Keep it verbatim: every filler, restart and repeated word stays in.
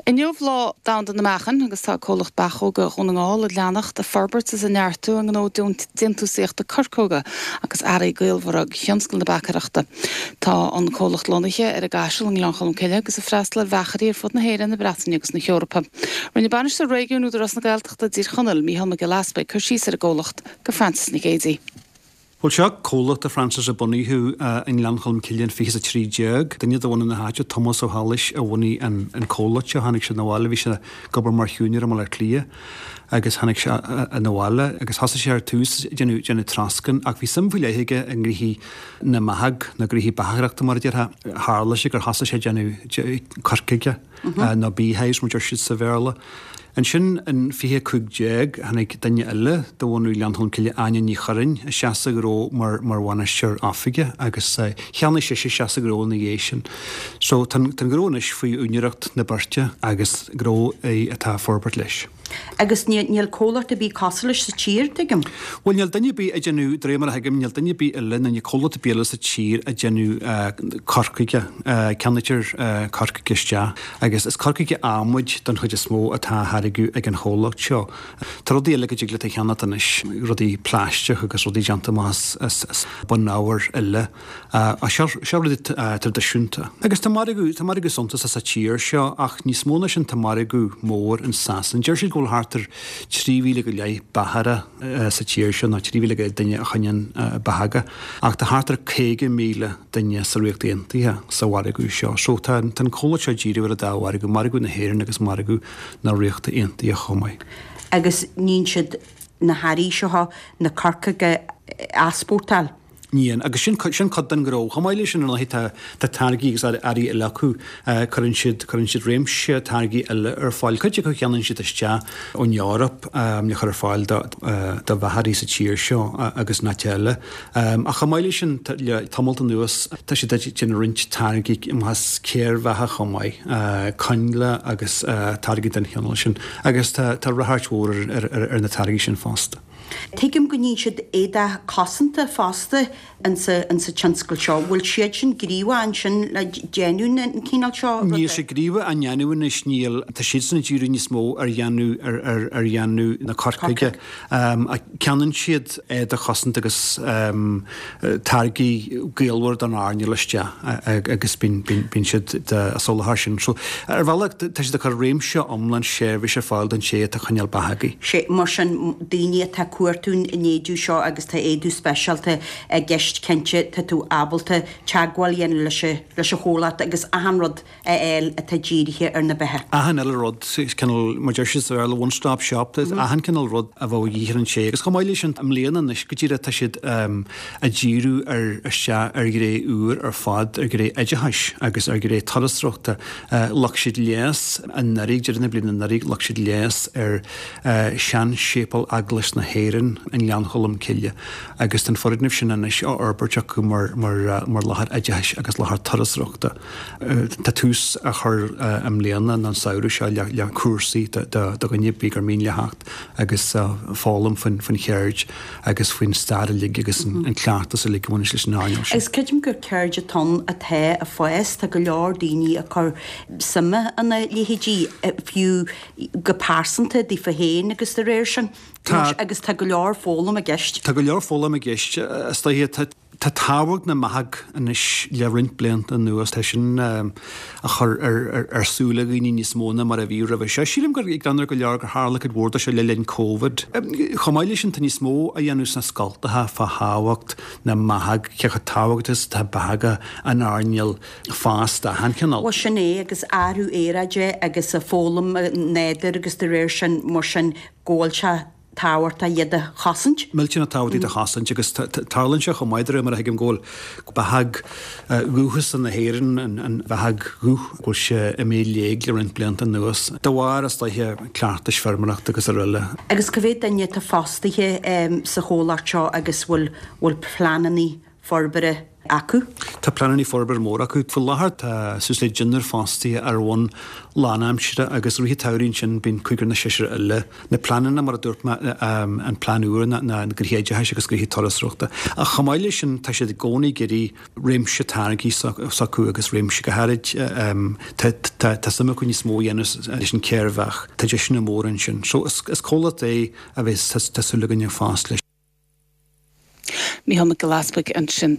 Inniu Lá Domhanda na Meachain agus tá comhlacht Bachóga Dhún na nGall ag leanacht ag forbairt is ag neartú a ngnó déantúsaíochta corcóga agus earraí gaolmhara do thionscal na beachaireachta. Tá an comhlacht lonnaithe ar an gCaiseal i nGleann Cholm Cille agus ag freastal ar bheachairí ar fud na hÉireann, na Breataine agus na hEorpa. Rinne Bainisteoir Réigiúin Údarás na Gaeltachta i dTír Chonaill, Mícheál Mac Giolla Easpaig, cur síos ar an gcomhlacht go Francis Nic Géadaigh. Bhuel seo comhlacht a Francis a bunaíodh i nGleann Cholm Cille in fiche a trí déag. Duine de bhunadh na háite Tomás Ó hAilís a bhunaigh an, an comhlacht seo tháinig sé abhaile bhí sé ag obair mar shiúinéir i mBaile Átha Cliath agus tháinig sé abhaile agus thosaigh sé ar tús déanamh déanamh troscán ach bhí suim faoi leith aige i ngnóthaí na mbeathach na gnóthaí beachaireachta mar a déarfá tharla sé gur thosaigh sé déanamh corcóga nó beehives mar deir siad sa Bhéarla. Ansin in fiche cúig déag tháinig duine eile de bhunadh Ghleann Cholm Cille Áine Ní Churraoin isteach sa ghnó mar mar bhainisteoir oifige agus cheannaigh sise isteach sa ghnó ina dhiaidh sin. So tá an gnó anois faoi úinéireacht na beirte agus gnó é atá ag forbairt leis. Agus níl comhlacht ar bith cosúil leis sa tír tuigim. Bhuel níl duine ar bith ag déanamh de réir mar a thuigim níl duine ar bith eile nó níl comhlacht ar bith eile sa tír ag déanamh corcóga ceannaítear corcóga isteach agus is corcóga adhmaid don chuid is mó atá á tháirgeadh ag an chomhlacht seo. Tá rudaí eile go dtig leat a cheannacht anois, rudaí plaisteach agus rudaí déanta amach as as bunábhair eile. Seo seo rudaí traidisiúnta. Agus tá margadh tá margadh suntasach sa tír seo ach níos mó ná sin tá margadh mór in Sasain. Deir siad go bhfuil thart ar trí mhíle go leith beachaire sa tír seo nó trí mhíle go leith duine a choinníonn beacha ach tá thart ar caoga míle duine sa Ríocht Aontaithe sa mhargadh seo. So tá tá an comhlacht seo díriú ar an dá mhargadh, margadh na hÉireann agus margadh na Ríochta Aontaithe chomh maith. Agus níonn siad na hearraí seo na corcóga a easpórtáil. Níonn agus sin sin cuid den ghnó. Chomh maith leis sin ar ndóigh tá tá táirgí agus earraí eile acu cuireann siad cuireann siad réimse táirgí eile ar fáil. Cuid acu cheannaíonn siad isteach ón Eoraip le chur ar fáil do do bheachairí sa tír seo agus in áit eile. Ach chomh maith leis sin le tamalt anuas tá siad ag déanamh roinnt táirgí amach céir bheatha chomh maith, coinnle agus táirgí den chineál sin agus tá tá ráchairt mhór ar ar ar na táirgí sin fosta. Tuigim go níonn siad éadach cosanta fosta insa insa tionscal seo, bhfuil siad sin gníomhach ansin le déanamh an cineál seo Níl sé gníomhach á ndéanamh anois níl tá siadsan ag díriú níos mó ar dhéanamh ar ar ar dhéanamh na corcóige. Ceannaíonn siad éadach cosanta agus táirgí gaolmhar don earnáil isteach agus bíonn bíonn siad ag soláthar sin. So ar bhealach tá siad ag cur réimse iomlán seirbhís ar fáil don té atá ag coinneáil beathagaí. Sé mar sin daoine atá ag cuartú an éadaigh seo agus tá éadú speisialta i gceist cinnte tá tú ábalta teagmháil a dhéanamh leis leis an chomhlacht agus achan rud a fháil atá dírithe ar na beithe. Achan uile rud cineál mar deir siad sa Bhéarla one stop shop achan cineál rud a bheadh de dhíth ar an té agus chomh maith leis sin i mbliana anois go díreach tá siad ag díriú ar isteach ar ghné úr ar fad ar ghné oideachais agus ar ghné turasóireachta ghlac siad léas anuraidh deireadh na bliana anuraidh ghlac siad léas ar seanséipéal Eaglais na hÉireann i nGleann Cholm Cille agus tá an foirgneamh sin anois á fhorbairt acu mar mar mar láthair oideachais agus láthair turasóireachta. Tá tús á chur i mbliana nó an samhradh seo le le cúrsaí do do dhuine ar bith gur mian leo theacht agus foghlaim faoin faoin cheird agus faoin stair uilig agus an cleachtas uilig a bhaineann leis an earnáil sin. Agus creidim gur ceird atá ann atá ag fás, tá go leor daoine ag cur suime ina leithéidí fiú go pearsanta daofa féin agus de réir sin. Tá agus tá go leor foghlaim i gceist. Tá go leor foghlaim i gceist is dóiche tá Tá tábhacht na mbeathach anois le roinnt blianta anuas tá sin á chur ar ar súile dhaoine níos mó ná mar a bhí roimhe seo. Sílim gur ag go leor gur tharla cuid mhór de seo le linn Covid. Chomh maith leis sin tá níos mó á dhéanamh sna scoltacha fá thábhacht na mbeathach, cé chomh tábhachtach is atá beathacha an earnáil fosta achan chineál. Bhuel sin é agus athrú aeráide agus foghlaim nádúir agus de réir sin mar sin go bhfuil sé tábhachtach iad a chosaint. Millteanach tábhachtach iad a chosaint agus tarlaíonn sé chomh maith de réir mar a thuigim go bhfuil beathach dhúchasach na hÉireann an bheathach dhubh go bhfuil sé imithe i léig le roinnt blianta anuas de bharr is dóiche cleachtais feirmeoireachta agus araile. Agus cá mhéad duine atá fostaithe sa chomhlacht seo agus bhfuil bhfuil pleananna forbartha acu? Tá pleananna forbartha mór acu. Faoi láthair tá suas le deichniúr fostaithe ar bhonn lánaimseartha agus i rith an tsamhraidh ansin bíonn cúigear nó seisear eile. Na pleananna, mar a dúirt mé, an plean úr ná na gnoithe oideachais agus gnoithe turasóireachta. Ach chomh maith leis sin tá siad i gcónaí ag iarraidh réimse táirgí s'acu agus réimse go háirid tá suim acu níos mó a dhéanamh leis an chéir bheach. Tá deiseanna móra ansin. So is comhlacht é a bheas tá súil againn ag fás leis. Mícheál Mac Giolla Easbuig ansin.